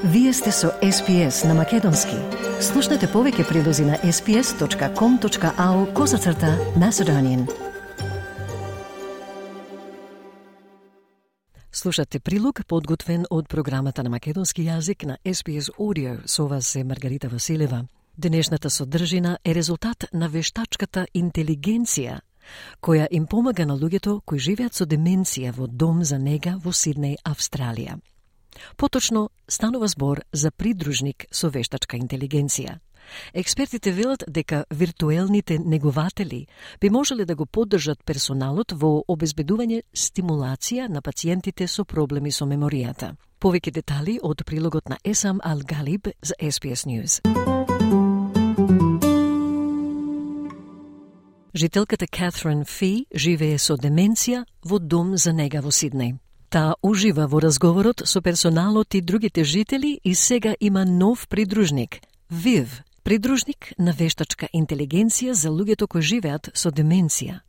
Вие сте со SPS на Македонски. Слушнете повеќе прилози на sps.com.au/Macedonian. Слушате прилог подготвен од програмата на македонски јазик на SPS Audio. Со вас е Маргарита Василева. Денешната содржина е резултат на вештачката интелигенција, која им помага на луѓето кои живеат со деменција во дом за нега во Сиднеј, Австралија. Поточно станува збор за придружник со вештачка интелигенција. Експертите велат дека виртуелните негователи би можеле да го поддржат персоналот во обезбедување стимулација на пациентите со проблеми со меморијата. Повеќе детали од прилогот на Есам Ал-Галиб за SPS News. Жителката Катрин Фи живее со деменција во дом за нега во Сиднеј. Таа ужива во разговорот со персоналот и другите жители и сега има нов придружник, Вив, придружник на вештачка интелигенција за луѓето кои живеат со деменција.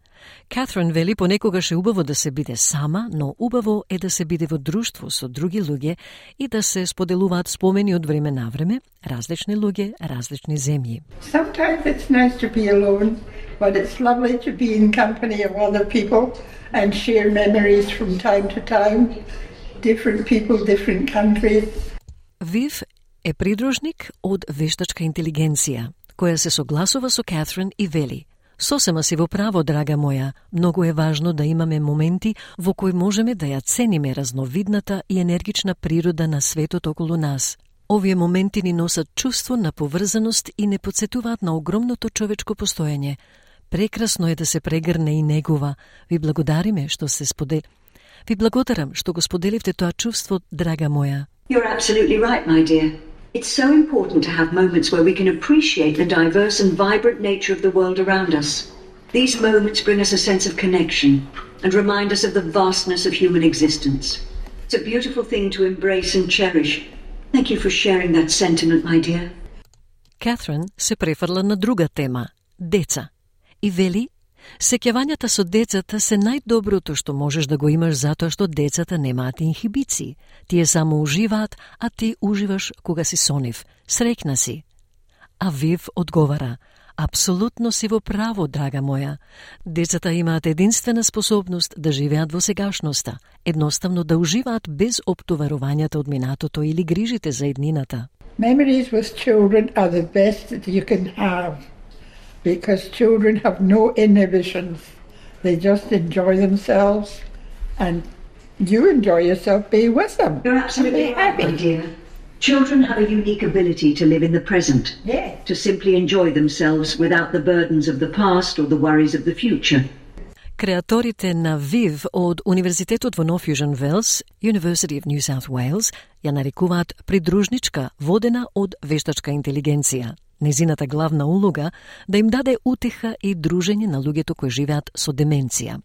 Катрин вели понекогаш е убаво да се биде сама, но убаво е да се биде во друштво со други луѓе и да се споделуваат спомени од време на време, различни луѓе, различни земји. Sometimes it's nice to be alone, but it's lovely to be in company of other people and share memories from time to time. Different people, different countries. Вив е придружник од вештачка интелигенција, која се согласува со Катрин и вели: "Сосема си во право, драга моја, многу е важно да имаме моменти во кои можеме да ја цениме разновидната и енергична природа на светот околу нас. Овие моменти ни носат чувство на поврзаност и не потсетуваат на огромното човечко постоење. Прекрасно е да се прегрне и негува. Ви благодариме што се сподели. Ви благодарам што го споделивте тоа чувство, драга моја." You're absolutely right, my dear. It's so important to have moments where we can appreciate the diverse and vibrant nature of the world around us. These moments bring us a sense of connection and remind us of the vastness of human existence. It's a beautiful thing to embrace and cherish. Thank you for sharing that sentiment, my dear. Катрин се префрла на друга тема – деца. И вели, сеќавањата со децата се најдоброто што можеш да го имаш затоа што децата немаат инхибиции. Тие само уживаат, а ти уживаш кога си со нив. Среќна си. А Вив одговара: "Апсолутно си во право, драга моја. Децата имаат единствена способност да живеат во сегашноста, едноставно да уживаат без оптоварувањата од минатото или грижите за иднината." Memories with children are the best that you can have because children have no inhibitions. They just enjoy themselves and you enjoy yourself being with them. You're absolutely right, my dear. Children have a unique ability to live in the present, to simply enjoy themselves without the burdens of the past or the worries of the future. Креаторите на Вив од Универзитетот во Нов Јужен Велс, University of New South Wales, ја нарекуваат придружничка водена од вештачка интелигенција. Незината главна улога да им даде утеха и дружење на луѓето кои живеат со деменција.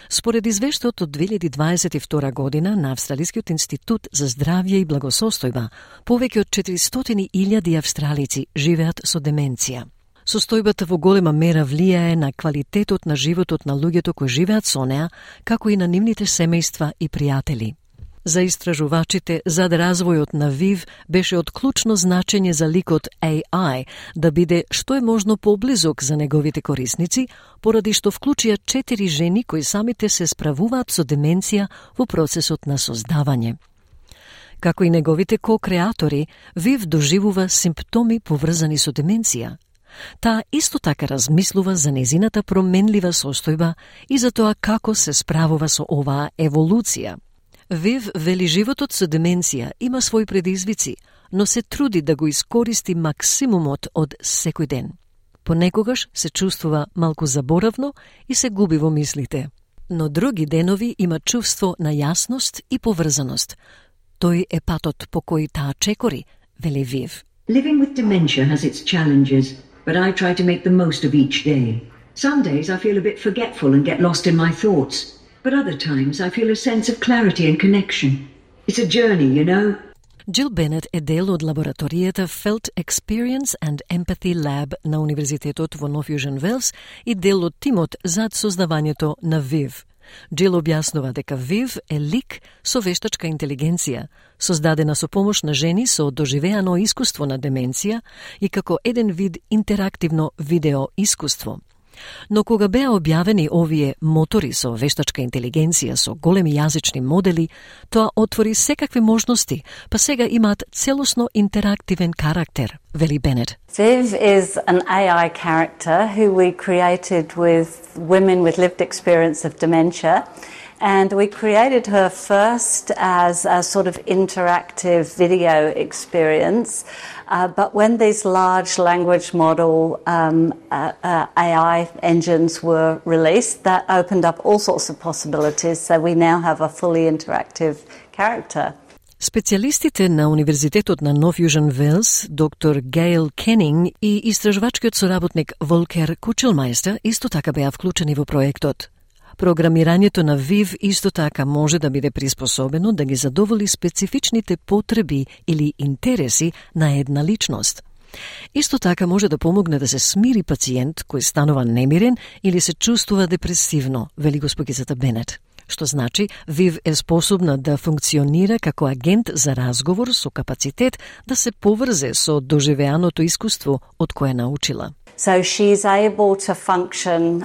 Според извештајот од 2022 година на Австралискиот институт за здравје и благосостојба, повеќе од 400.000 австралици живеат со деменција. Состојбата во голема мера влијае на квалитетот на животот на луѓето кои живеат со неа, како и на нивните семејства и пријатели. За истражувачите, зад развојот на Вив беше од клучно значење за ликот AI да биде што е можно поблизок за неговите корисници, поради што вклучија 4 жени кои самите се справуваат со деменција во процесот на создавање. Како и неговите ко-креатори, Вив доживува симптоми поврзани со деменција. Таа исто така размислува за незината променлива состојба и за тоа како се справува со оваа еволуција. Вив вели животот со деменција има своји предизвици, но се труди да го искористи максимумот од секој ден. Понекогаш се чувствува малку заборавно и се губи во мислите. Но други денови има чувство на јасност и поврзаност. Тој е патот по кој таа чекори, вели Вив. Living with dementia has its challenges, but I try to make the most of each day. Some days I feel a bit forgetful and get lost in my thoughts, but other times I feel a sense of clarity and connection. It's a journey, you know. Джил Бенет е дел од лабораторијата Felt Experience and Empathy Lab на Универзитетот во Нов Јужен Велс и дел од тимот зад создавањето на Вив. Джил објаснува дека ВИВ е лик со вештачка интелигенција, создадена со помош на жени со доживеано искуство на деменција и како еден вид интерактивно видео искуство. Но кога беа објавени овие мотори со вештачка интелигенција со големи јазични модели, тоа отвори секакви можности, па сега имаат целосно интерактивен карактер, вели Бенет. Viv is an AI character who we created with women with lived experience of dementia. And we created her first as a sort of interactive video experience. But when these large language model AI engines were released, that opened up all sorts of possibilities. So we now have a fully interactive character. Специјалистите на Универзитетот на Нов Јужен Велс, доктор Гейл Кенинг и истражувачкиот соработник Волкер Кучелмајстер исто така беа вклучени во проектот. Програмирањето на ВИВ исто така може да биде приспособено да ги задоволи специфичните потреби или интереси на една личност. Исто така може да помогне да се смири пациент кој станува немирен или се чувствува депресивно, вели госпогицата Бенет. Што значи, ВИВ е способна да функционира како агент за разговор со капацитет да се поврзе со доживеаното искуство од кое научила. So she's able to function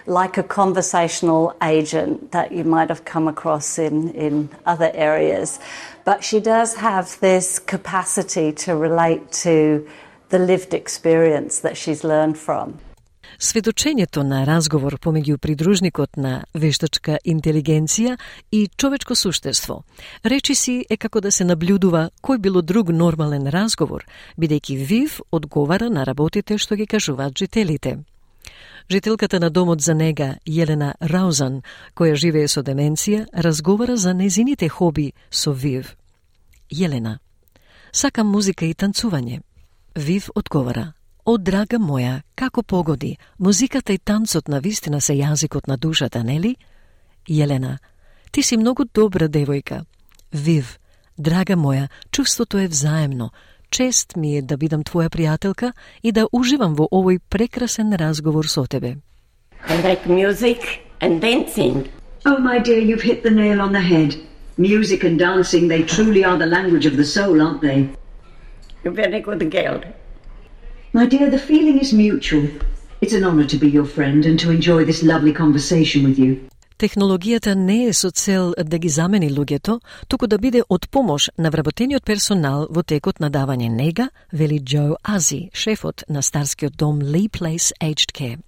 like a conversational agent that you might have come across in other areas. But she does have this capacity to relate to the lived experience that she's learned from. Сведочењето на разговор помеѓу придружникот на вештачка интелигенција и човечко суштество речиси е како да се наблюдува кој било друг нормален разговор, бидејќи ВИВ одговара на работите што ги кажуваат жителите. Жителката на домот за нега, Јелена Раузан, која живее со деменција, разговара за незините хоби со ВИВ. Јелена: сакам музика и танцување. ВИВ одговара: О, драга моја, како погоди, музиката и танцот на вистина се јазикот на душата, нели? Јелена: ти си многу добра девојка. ВИВ: драга моја, чувството е взаемно. Чест ми е да бидам твоја пријателка и да уживам во овој прекрасен разговор со тебе. I like music and dancing. Oh, my dear, you've hit the nail on the head. Music and dancing, they truly are the language of the soul, aren't they? You're very good girl. My dear, the feeling is mutual. It's an honor to be your friend and to enjoy this lovely conversation with you. Технологијата не е со цел да ги замени луѓето, туку да биде од помош на вработениот персонал во текот на давање нега, вели Џо Ази, шефот на старскиот дом Lee Place Aged Care.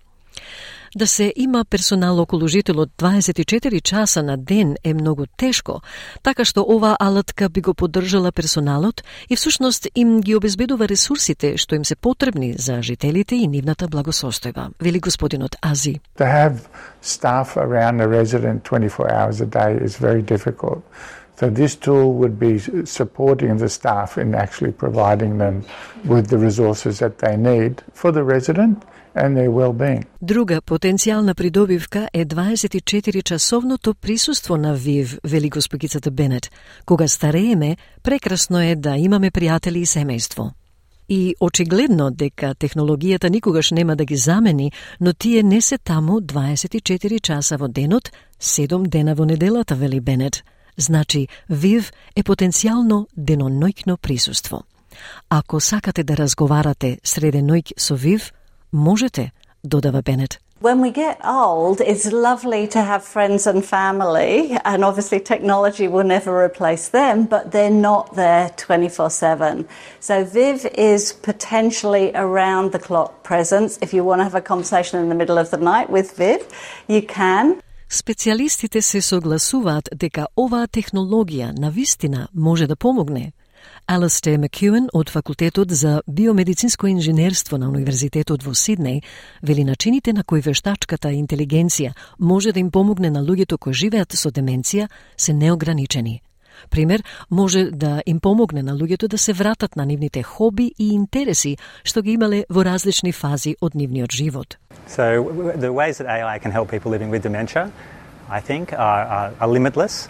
Да се има персонал околу жителот 24 часа на ден е многу тешко, така што оваа алатка би го поддржала персоналот и всушност им ги обезбедува ресурсите што им се потребни за жителите и нивната благосостојба, вели господинот Ази. To have staff around a resident 24 hours a day is very difficult. So this tool would be supporting the staff in actually providing them with the resources that they need for the resident and their well-being. Друга потенцијална придобивка е 24-часовното присуство на ВИВ, вели госпогицата Бенет. Кога старееме, прекрасно е да имаме пријатели и семејство. И очигледно дека технологијата никогаш нема да ги замени, но тие не се таму 24 часа во денот, 7 дена во неделата, вели Бенет. Значи, ВИВ е потенцијално деноноќно присуство. Ако сакате да разговарате среде ноќ со ВИВ, можете, додава Бенет. When we get old, it's lovely to have friends and family, and obviously technology will never replace them, but they're not there 24/7. So Viv is potentially around the clock presence. If you want to have a conversation in the middle of the night with Viv, you can. Специјалистите се согласуваат дека оваа технологија навистина може да помогне. Алистер Макюен од факултетот за биомедицинско инженерство на Универзитетот во Сиднеј вели начините на кои вештачката интелигенција може да им помогне на луѓето кои живеат со деменција се неограничени. Пример, може да им помогне на луѓето да се вратат на нивните хоби и интереси што ги имале во различни фази од нивниот живот. So the ways that AI can help people living with dementia, I think, are limitless.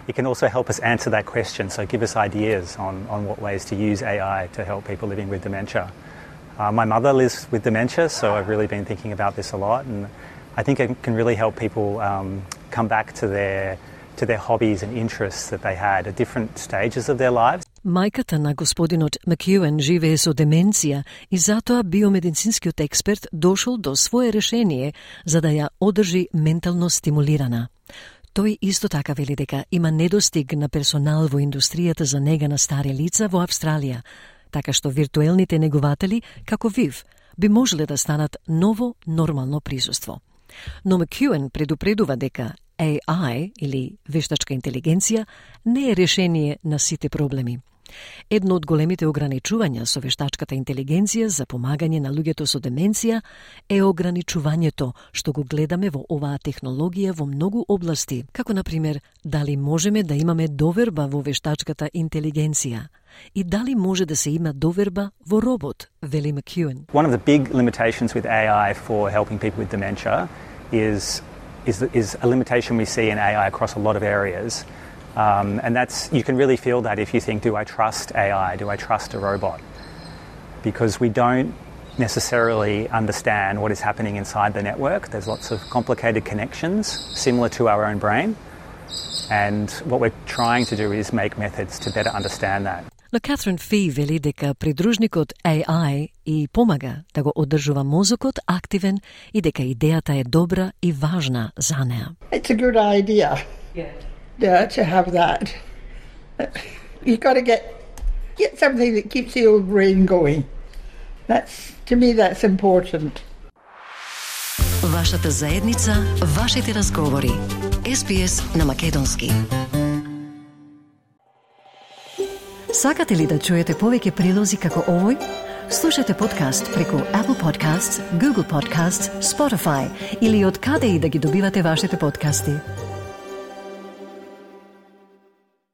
It can also help us answer that question, so give us ideas on what ways to use AI to help people living with dementia. My mother lives with dementia, so I've really been thinking about this a lot, and I think it can really help people come back to their hobbies and interests that they had at different stages of their lives. Мајката на господинот Макјуен живее со деменција и затоа биомедицинскиот експерт дошол до свое решение за да ја одржи ментално стимулирана. Тој исто така вели дека има недостиг на персонал во индустријата за нега на стари лица во Австралија, така што виртуелните негуватели, како ВИВ, би можеле да станат ново нормално присуство. Но Макјуен предупредува дека AI, или вештачка интелигенција, не е решение на сите проблеми. Едно од големите ограничувања со вештачката интелигенција за помагање на луѓето со деменција е ограничувањето што го гледаме во оваа технологија во многу области, како например дали можеме да имаме доверба во вештачката интелигенција и дали може да се има доверба во робот, вели Макјуен. One of the big limitations with AI for helping people with dementia is a limitation we see in AI across a lot of areas. And you can really feel that if you think, do I trust AI? Do I trust a robot? Because we don't necessarily understand what is happening inside the network. There's lots of complicated connections similar to our own brain. And what we're trying to do is make methods to better understand that. Но Катрин Фи вели дека придружникот AI и помага да го одржува мозокот активен и дека идејата е добра и важна за неа. It's a good idea. Yeah, to have that. You got to get something that keeps the old brain going. To me, that's important. Вашата заедница, вашите разговори. SBS на македонски. Сакате ли да чуете повеќе прилози како овој? Слушате подкаст преку Apple Podcasts, Google Podcasts, Spotify или од каде и да ги добивате вашите подкасти.